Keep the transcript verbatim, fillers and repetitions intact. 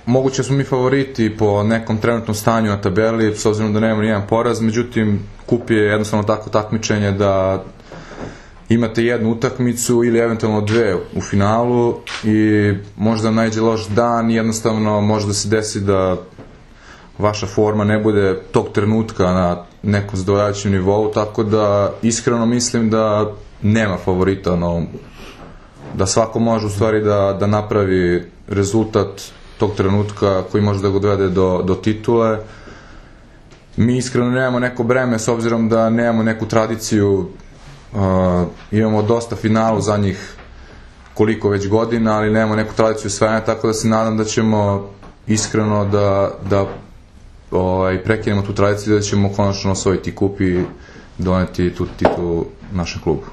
moguće smo mi favoriti po nekom trenutnom stanju na tabeli, s obzirom da nemamo nijedan poraz, međutim, kup je jednostavno tako takmičenje da imate jednu utakmicu ili eventualno dve u finalu i možda najde loš dan i jednostavno može da se desi da vaša forma ne bude tog trenutka na nekom zadovoljavajućem nivou, tako da iskreno mislim da nema favorita na ovom, da svako može u stvari da, da napravi rezultat tog trenutka koji može da ga dovede do, do titule. Mi iskreno nemamo neko breme s obzirom da nemamo neku tradiciju. Uh, imamo dosta finala u zadnjih koliko već godina, ali nemamo neku tradiciju osvajanja, tako da se nadam da ćemo iskreno da, da ovaj, prekinemo tu tradiciju i da ćemo konačno osvojiti kup i doneti tu titulu našem klubu.